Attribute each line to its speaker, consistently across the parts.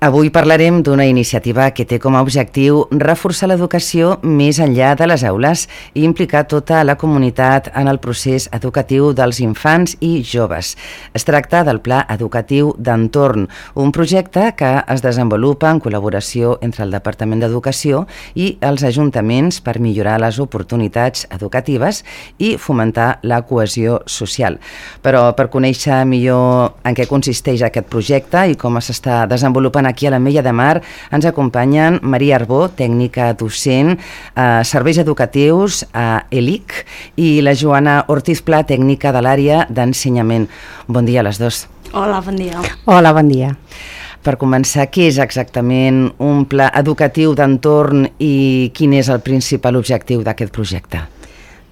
Speaker 1: Avui parlarem d'una iniciativa que té com a objectiu reforçar l'educació més enllà de les aules i implicar tota la comunitat en el procés educatiu dels infants i joves. Es tracta del Pla Educatiu d'Entorn, un projecte que es desenvolupa en col·laboració entre el Departament d'Educació i els ajuntaments per millorar les oportunitats educatives i fomentar la cohesió social. Però per conèixer millor en què consisteix aquest projecte i com s'està desenvolupant aquí a l'Ametlla de Mar, ens acompanyen Maria Arbó, tècnica docent a Serveis Educatius a ELIC, i la Joana Ortiz Pla, tècnica de l'àrea d'ensenyament. Bon dia a les dues.
Speaker 2: Hola, bon dia.
Speaker 3: Hola, bon dia.
Speaker 1: Per començar, què és exactament un pla educatiu d'entorn i quin és el principal objectiu d'aquest projecte?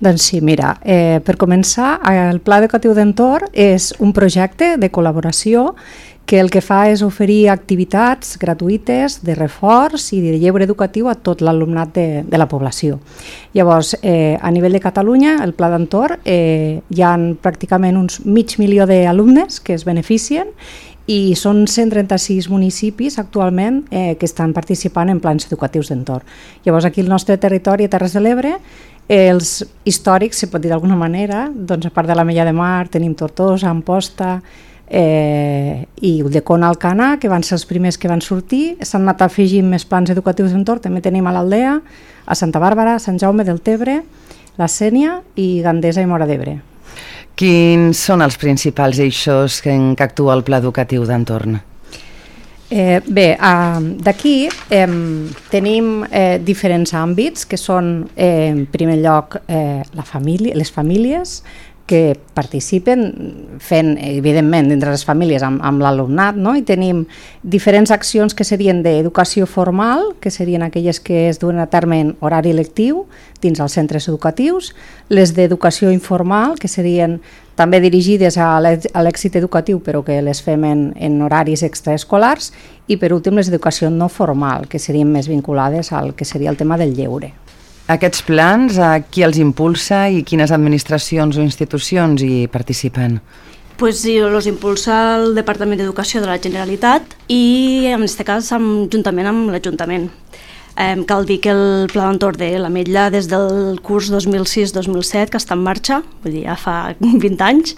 Speaker 3: Doncs sí, mira, per començar, el Pla Educatiu d'Entorn és un projecte de col·laboració que el que fa és oferir activitats gratuïtes de reforç i de lleure educatiu a tot l'alumnat de la població. Llavors, a nivell de Catalunya, el Pla d'Entorn, hi ha pràcticament uns 500.000 d'alumnes que es beneficien i són 136 municipis actualment que estan participant en plans educatius d'entorn. Llavors, aquí al nostre territori, a Terres de l'Ebre, els històrics, si pot dir d'alguna manera, doncs a part de l'Ametlla de Mar, tenim Tortosa, Amposta i Ulldecona, Alcanar, que van ser els primers que van sortir. S'han anat afegint més plans educatius d'entorn, també tenim a l'Aldea, a Santa Bàrbara, a Sant Jaume del Tebre, la Sénia i Gandesa i Móra d'Ebre.
Speaker 1: Quins són els principals eixos en què actua el Pla Educatiu d'Entorn?
Speaker 3: Bé, d'aquí tenim diferents àmbits que són, en primer lloc, les famílies que participen fent, evidentment, dintre les famílies amb l'alumnat, no? I tenim diferents accions que serien d'educació formal, que serien aquelles que es duen a terme en horari lectiu dins els centres educatius, les d'educació informal, que serien també dirigides a l'èxit educatiu, però que les fem en horaris extraescolars, i per últim les d'educació no formal, que serien més vinculades al que seria el tema del lleure.
Speaker 1: Aquests plans, qui els impulsa i quines administracions o institucions hi participen?
Speaker 2: Pues sí, els impulsa el Departament d'Educació de la Generalitat i, en aquest cas, juntament amb l'Ajuntament. Cal dir que el Pla d'Entorn de l'Ametlla des del curs 2006-2007 que està en marxa, vull dir, ja fa 20 anys,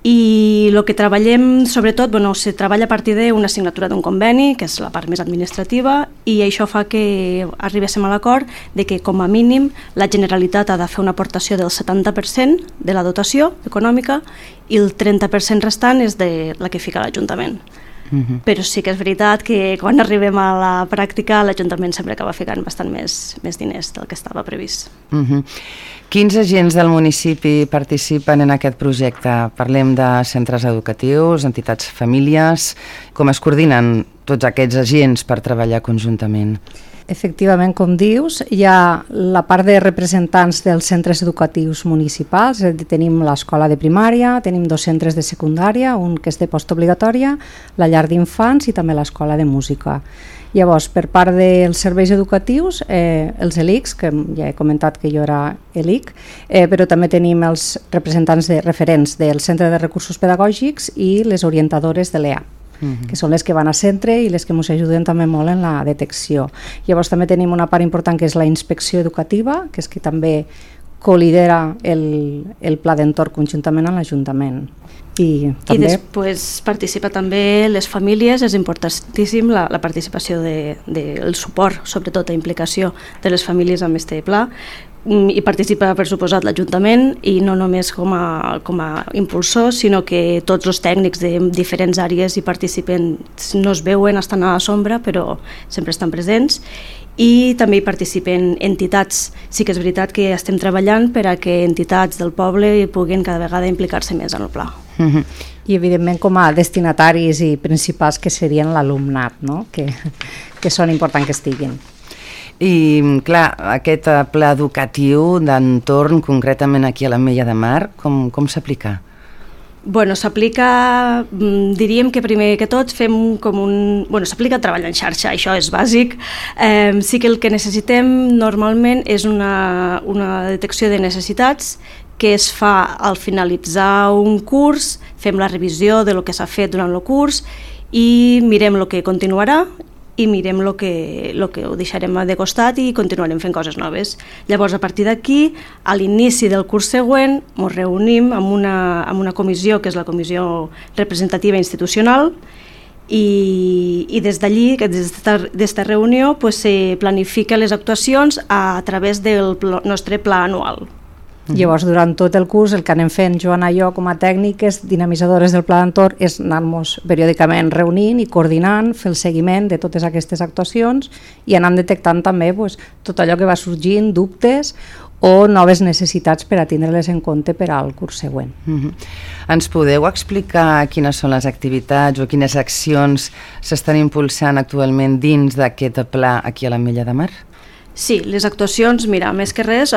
Speaker 2: i el que treballem, sobretot, se treballa a partir d'una signatura d'un conveni, que és la part més administrativa, i això fa que arribéssim a l'acord de que, com a mínim, la Generalitat ha de fer una aportació del 70% de la dotació econòmica i el 30% restant és de la que fica l'Ajuntament. Però sí que és veritat que quan arribem a la pràctica l'Ajuntament sempre acaba ficant bastant més diners del que estava previst.
Speaker 1: Quins agents del municipi participen en aquest projecte? Parlem de centres educatius, entitats famílies. Com es coordinen tots aquests agents per treballar conjuntament?
Speaker 3: Efectivament, com dius, hi ha la part de representants dels centres educatius municipals, tenim l'escola de primària, tenim 2 centres de secundària, un que és de postobligatòria, la llar d'infants i també l'escola de música. Llavors, per part dels serveis educatius, els ELICs, que ja he comentat que jo era ELIC, però també tenim els representants referents del Centre de Recursos Pedagògics i les orientadores de l'EA, que són les que van a centre i les que ens ajuden també molt en la detecció. Llavors també tenim una part important que és la inspecció educativa, que és que també co-lidera el Pla d'Entorn conjuntament amb l'Ajuntament. I
Speaker 2: després participa també les famílies, és importantíssim la participació del suport, sobretot la implicació de les famílies amb aquest pla. Hi participa, per suposat, l'Ajuntament, i no només com a impulsor, sinó que tots els tècnics de diferents àrees hi participen, no es veuen, estan a la sombra, però sempre estan presents, i també hi participen entitats. Sí que és veritat que estem treballant per a que entitats del poble puguin cada vegada implicar-se més en el pla.
Speaker 3: I evidentment com a destinataris i principals que serien l'alumnat, no? que són importants que estiguin.
Speaker 1: I, clar, aquest pla educatiu d'entorn, concretament aquí a l'Ametlla de Mar, com s'aplica?
Speaker 2: S'aplica, diríem que primer que tot fem s'aplica a treballar en xarxa, això és bàsic. Sí que el que necessitem normalment és una detecció de necessitats que es fa al finalitzar un curs, fem la revisió de lo que s'ha fet durant el curs i mirem el que continuarà i mirem el que ho deixarem de costat i continuarem fent coses noves. Llavors, a partir d'aquí, a l'inici del curs següent, ens reunim amb una comissió, que és la comissió representativa institucional, i des d'allí, d'esta reunió, se planifiquen les actuacions a través del nostre pla anual.
Speaker 3: Llavors, durant tot el curs, el que anem fent, Joana i jo, com a tècniques dinamitzadores del Pla d'Entorn, és anar-nos periòdicament reunint i coordinant, fer el seguiment de totes aquestes actuacions i anar detectant també tot allò que va sorgint, dubtes o noves necessitats per a tindre-les en compte per al curs següent.
Speaker 1: Ens podeu explicar quines són les activitats o quines accions s'estan impulsant actualment dins d'aquest pla aquí a l'Ametlla de Mar?
Speaker 2: Sí, les actuacions, mira, més que res,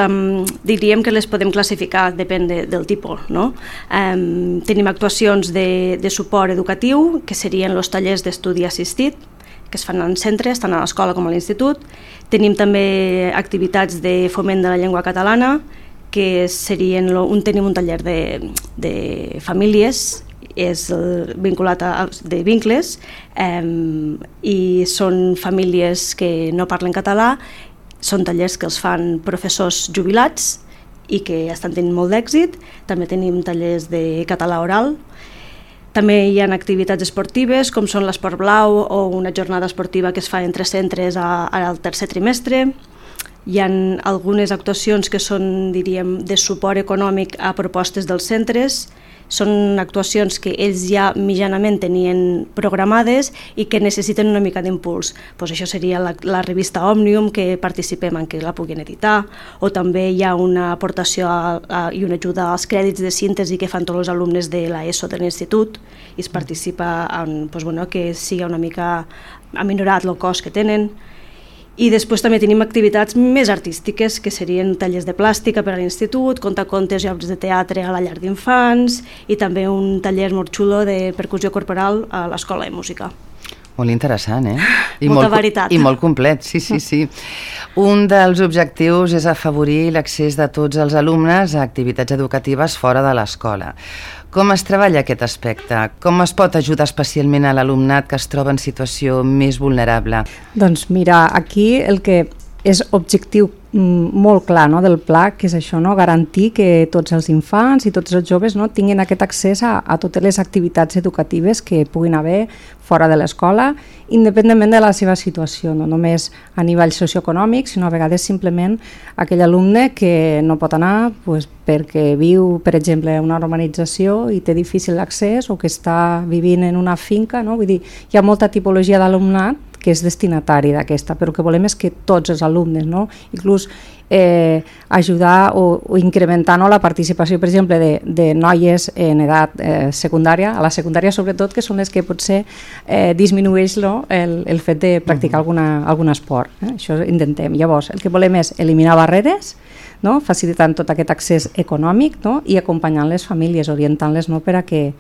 Speaker 2: diríem que les podem classificar, depèn del tipus, no? Tenim actuacions de suport educatiu, que serien els tallers d'estudi assistit, que es fan en centres, tant a l'escola com a l'institut. Tenim també activitats de foment de la llengua catalana, que serien, tenim un taller de famílies, és vinculat de vincles, i són famílies que no parlen català. Són tallers que els fan professors jubilats i que estan tenint molt d'èxit. També tenim tallers de català oral. També hi ha activitats esportives, com són l'esport blau o una jornada esportiva que es fa entre centres al tercer trimestre. Hi ha algunes actuacions que són, diríem, de suport econòmic a propostes dels centres. Són actuacions que ells ja mitjanament tenien programades i que necessiten una mica d'impuls. Això seria la revista Òmnium, que participem en que la puguin editar, o també hi ha una aportació i una ajuda als crèdits de síntesi que fan tots els alumnes de l'ESO de l'institut, i es participa en que sigui una mica aminorat el cost que tenen. I després també tenim activitats més artístiques, que serien tallers de plàstica per a l'institut, contacontes i obres de teatre a la llar d'infants, i també un taller molt xulo de percussió corporal a l'Escola de Música.
Speaker 1: Molt interessant, eh?
Speaker 2: Molta varietat.
Speaker 1: I molt complet, sí. Un dels objectius és afavorir l'accés de tots els alumnes a activitats educatives fora de l'escola. Com es treballa aquest aspecte? Com es pot ajudar especialment a l'alumnat que es troba en situació més vulnerable?
Speaker 3: Doncs mira, aquí el que és objectiu molt clar del pla, que és això, garantir que tots els infants i tots els joves tinguin aquest accés a totes les activitats educatives que puguin haver fora de l'escola, independentment de la seva situació, no només a nivell socioeconòmic, sinó a vegades simplement aquell alumne que no pot anar perquè viu, per exemple, en una urbanització i té difícil l'accés, o que està vivint en una finca, vull dir, hi ha molta tipologia d'alumnat que és destinatari d'aquesta, però el que volem és que tots els alumnes, inclús ajudar o incrementar la participació, per exemple, de noies en edat secundària, a la secundària sobretot, que són les que potser disminueix el fet de practicar algun esport. Això intentem. Llavors, el que volem és eliminar barreres, facilitant tot aquest accés econòmic i acompanyant les famílies, orientant-les per a que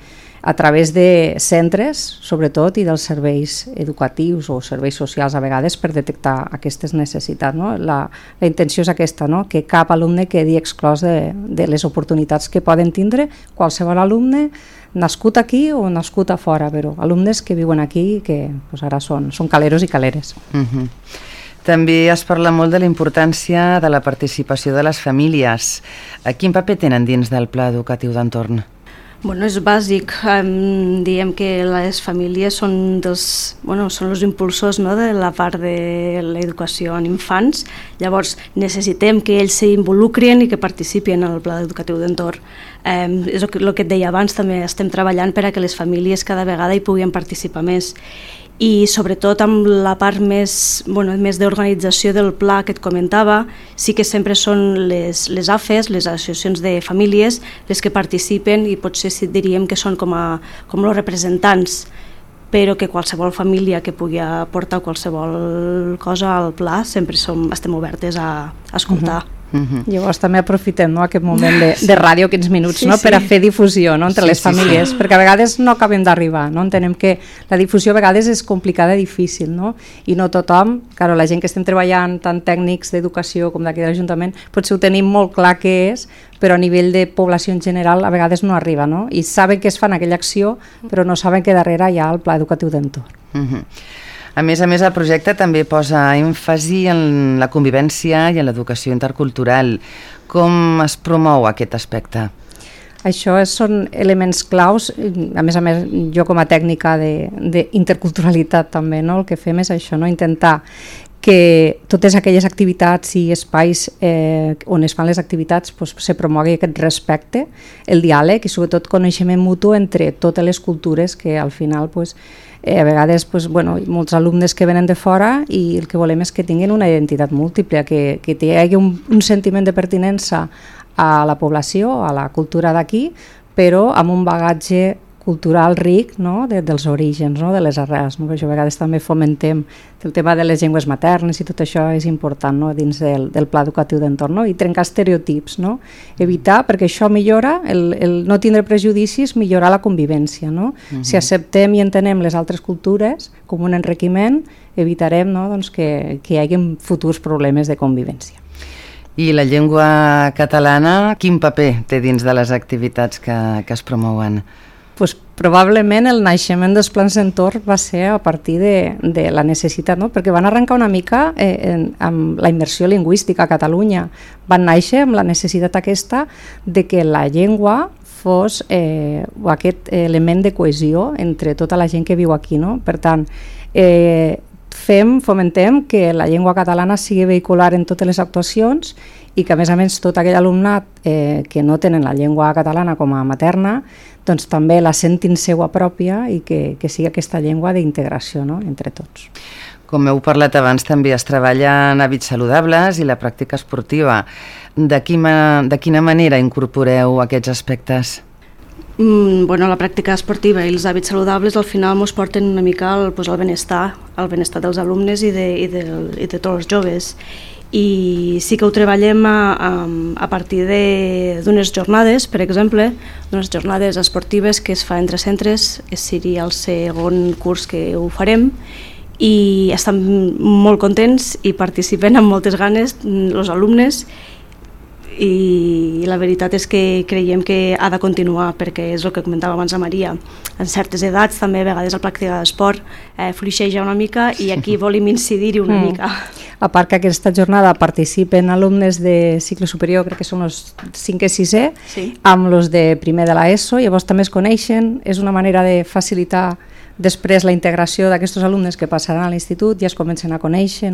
Speaker 3: a través de centres, sobretot, i dels serveis educatius o serveis socials a vegades, per detectar aquestes necessitats. La intenció és aquesta, que cap alumne quedi exclòs de les oportunitats que poden tindre qualsevol alumne nascut aquí o nascut a fora, però alumnes que viuen aquí i que ara són caleros i caleres.
Speaker 1: També es parla molt de la importància de la participació de les famílies. Quin paper tenen dins del pla educatiu d'entorn?
Speaker 2: És bàsic. Diem que les famílies són els impulsors de la part de l'educació en infants. Llavors necessitem que ells s'involucrin i que participin en el pla educatiu d'entorn. És el que et deia abans, també estem treballant per a que les famílies cada vegada hi puguin participar més. I sobretot amb la part més d'organització del pla que et comentava, sí que sempre són les AFES, les associacions de famílies, les que participen, i potser diríem que són com els representants, però que qualsevol família que pugui aportar qualsevol cosa al pla sempre estem obertes a escoltar.
Speaker 3: Llavors també aprofitem aquest moment de ràdio, 15 minuts, per a fer difusió entre les famílies, perquè a vegades no acabem d'arribar, entenem que la difusió a vegades és complicada i difícil, i no tothom, la gent que estem treballant, tant tècnics d'educació com d'aquí de l'Ajuntament, potser ho tenim molt clar què és, però a nivell de població en general a vegades no arriba, i saben que es fan aquella acció, però no saben que darrere hi ha el pla educatiu d'entorn.
Speaker 1: A més, el projecte també posa èmfasi en la convivència i en l'educació intercultural. Com es promou aquest aspecte?
Speaker 3: Això són elements claus, a més, jo com a tècnica d'interculturalitat també, el que fem és això, intentar que totes aquelles activitats i espais on es fan les activitats se promogui aquest respecte, el diàleg i sobretot coneixement mutu entre totes les cultures que al final a vegades molts alumnes que venen de fora i el que volem és que tinguin una identitat múltiple, que hi hagi un sentiment de pertinença a la població, a la cultura d'aquí, però amb un bagatge cultural ric dels orígens, de les arrels. Per això a vegades també fomentem el tema de les llengües maternes i tot això és important dins del pla educatiu d'entorn, i trencar estereotips, evitar, perquè això millora, el no tindre prejudicis millora la convivència. Si acceptem i entenem les altres cultures com un enriquiment, evitarem que hi hagi futurs problemes de convivència.
Speaker 1: I la llengua catalana, quin paper té dins de les activitats que es promouen?
Speaker 3: Probablement el naixement dels plans d'entorn va ser a partir de la necessitat, perquè van arrencar una mica amb la immersió lingüística a Catalunya. Van néixer amb la necessitat aquesta de que la llengua fos aquest element de cohesió entre tota la gent que viu aquí. Per tant, fomentem que la llengua catalana sigui vehicular en totes les actuacions i que a més tot aquell alumnat que no tenen la llengua catalana com a materna doncs també la sentin seua pròpia i que sigui aquesta llengua d'integració entre tots.
Speaker 1: Com heu parlat abans, també es treballa en hàbits saludables i la pràctica esportiva. De quina manera incorporeu aquests aspectes?
Speaker 2: La pràctica esportiva i els hàbits saludables al final ens porten una mica al benestar dels alumnes i de tots els joves. I sí que ho treballem a partir d'unes jornades, per exemple, d'unes jornades esportives que es fa entre centres, seria el segon curs que ho farem, i estan molt contents i participen amb moltes ganes els alumnes, i la veritat és que creiem que ha de continuar, perquè és el que comentava abans la Maria, en certes edats també a vegades el practicar d'esport fluixeja una mica i aquí volem incidir-hi una mica.
Speaker 3: A part que aquesta jornada participen alumnes de cicle superior, crec que són els 5è i 6è, amb els de primer de l'ESO, llavors també es coneixen, és una manera de facilitar després la integració d'aquests alumnes que passaran a l'institut, ja es comencen a conèixer,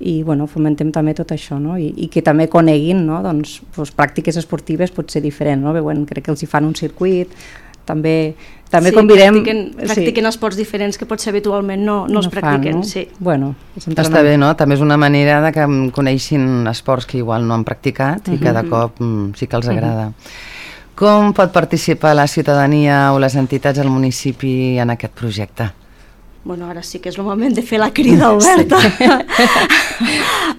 Speaker 3: i fomentem també tot això, i que també coneguin pràctiques esportives pot ser diferent, crec que els hi fan un circuit, també convidem...
Speaker 2: Practiquen esports diferents que potser habitualment no els practiquen.
Speaker 1: Està bé, també és una manera de que coneixin esports que igual no han practicat i cada cop sí que els agrada. Com pot participar la ciutadania o les entitats del municipi en aquest projecte?
Speaker 2: Ara sí que és el moment de fer la crida oberta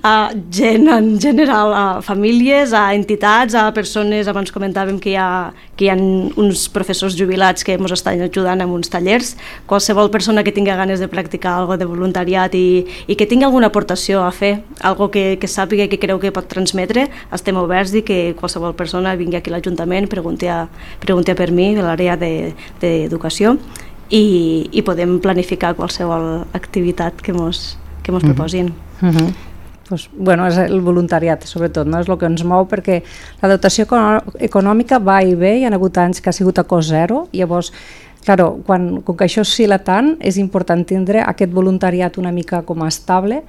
Speaker 2: a gent en general, a famílies, a entitats, a persones. Abans comentàvem que hi ha uns professors jubilats que ens estan ajudant amb uns tallers. Qualsevol persona que tingui ganes de practicar alguna de voluntariat i que tingui alguna aportació a fer, alguna que sàpiga i que creu que pot transmetre, estem oberts i que qualsevol persona vingui aquí a l'Ajuntament, pregunti per mi, de l'àrea d'educació, i podem planificar qualsevol activitat que mos proposin.
Speaker 3: És el voluntariat, sobretot, és el que ens mou, perquè la dotació econòmica va i ve, hi ha hagut anys que ha sigut a cost zero, llavors, com que això oscil·la tant, és important tindre aquest voluntariat una mica com a estable,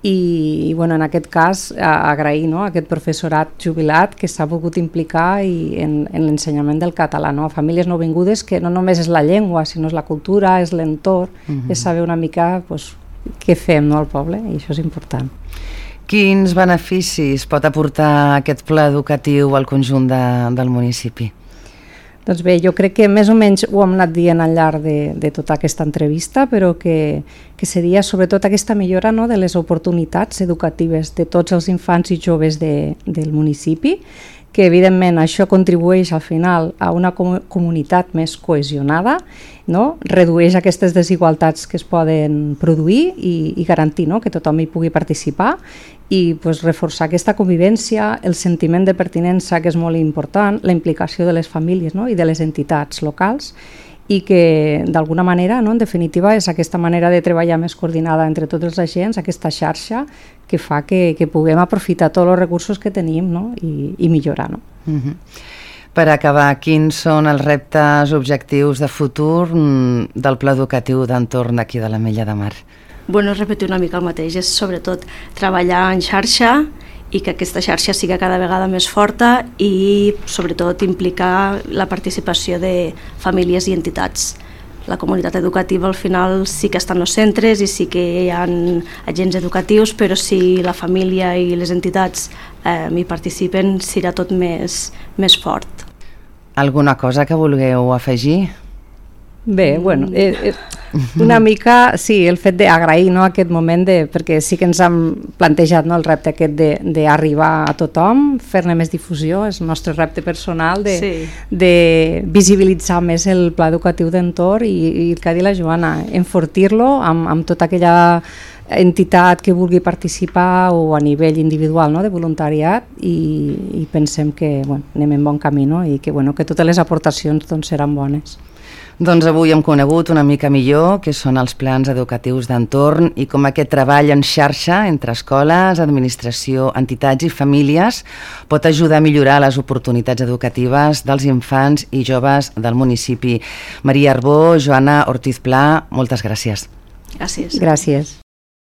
Speaker 3: i en aquest cas agrair a aquest professorat jubilat que s'ha volgut implicar en l'ensenyament del català, a famílies nouvingudes, que no només és la llengua, sinó és la cultura, és l'entorn, és saber una mica què fem al poble, i això és important.
Speaker 1: Quins beneficis pot aportar aquest pla educatiu al conjunt del municipi?
Speaker 3: Doncs bé, jo crec que més o menys ho hem anat dient al llarg de tota aquesta entrevista, però que seria sobretot aquesta millora, no, de les oportunitats educatives de tots els infants i joves del municipi, que evidentment això contribueix al final a una comunitat més cohesionada, no? Redueix aquestes desigualtats que es poden produir i garantir, no, que tothom hi pugui participar i pues, reforçar aquesta convivència, el sentiment de pertinença, que és molt important, la implicació de les famílies, no, i de les entitats locals, i que d'alguna manera, no, en definitiva, és aquesta manera de treballar més coordinada entre tots els agents, aquesta xarxa que fa que puguem aprofitar tots els recursos que tenim, no, i millorar. No?
Speaker 1: Per acabar, quins són els reptes objectius de futur del Pla Educatiu d'Entorn d'aquí de l'Ametlla de Mar?
Speaker 2: Bueno, repetir una mica el mateix, és sobretot treballar en xarxa i que aquesta xarxa sigui cada vegada més forta i sobretot implicar la participació de famílies i entitats. La comunitat educativa al final sí que està en els centres i sí que hi ha agents educatius, però si la família i les entitats hi participen serà tot més fort.
Speaker 1: Alguna cosa que vulgueu afegir?
Speaker 3: Bé, bueno, una mica, sí, el fet d'agrair, no, aquest moment, perquè sí que ens hem plantejat, no, el repte aquest d'arribar a tothom, fer-ne més difusió, és el nostre repte personal de visibilitzar més el pla educatiu d'entorn i el que ha dit la Joana, enfortir-lo amb tota aquella entitat que vulgui participar o a nivell individual, no, de voluntariat i pensem que anem en bon camí, no, i que totes les aportacions seran bones.
Speaker 1: Doncs avui hem conegut una mica millor què són els plans educatius d'entorn i com aquest treball en xarxa entre escoles, administració, entitats i famílies pot ajudar a millorar les oportunitats educatives dels infants i joves del municipi. Maria Arbó, Joana Ortiz Pla, moltes gràcies.
Speaker 2: Gràcies.
Speaker 3: Gràcies.